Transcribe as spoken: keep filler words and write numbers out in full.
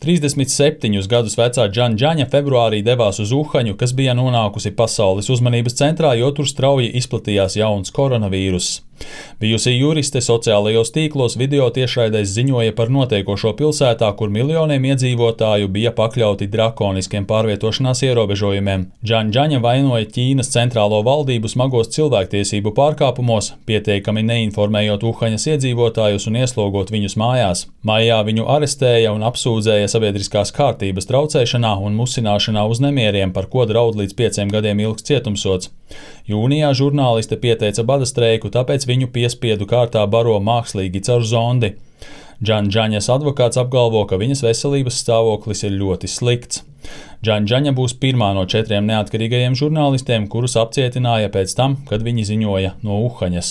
trīsdesmit septiņus gadus vecā Džanģaņa februārī devās uz Uhaņu, kas bija nonākusi pasaules uzmanības centrā, jo tur strauji izplatījās jauns koronavīruss. Bijusī juriste sociālajos tīklos video tiešraidēs ziņoja par notiekošo pilsētā, kur miljoniem iedzīvotāju bija pakļauti drakoniskiem pārvietošanās ierobežojumiem. Džanģaņa vainoja Ķīnas centrālo valdību smagos cilvēktiesību pārkāpumos, pieteikami neinformējot Uhaņas iedzīvotājus un ieslogot viņus mājās. Maijā viņu arestēja un apsūdzēja sabiedriskās kārtības traucēšanā un musināšanā uz nemieriem, par ko draud līdz pieciem gadiem ilgs cietumsods. Jūnijā žurnāliste pieteica bada streiku, tāpēc viņu piespiedu kārtā baro mākslīgi caur zondi. Džanģaņas advokāts apgalvo, ka viņas veselības stāvoklis ir ļoti slikts. Džanģaņa būs pirmā no četriem neatkarīgajiem žurnālistiem, kurus apcietināja pēc tam, kad viņi ziņoja no Uhaņas.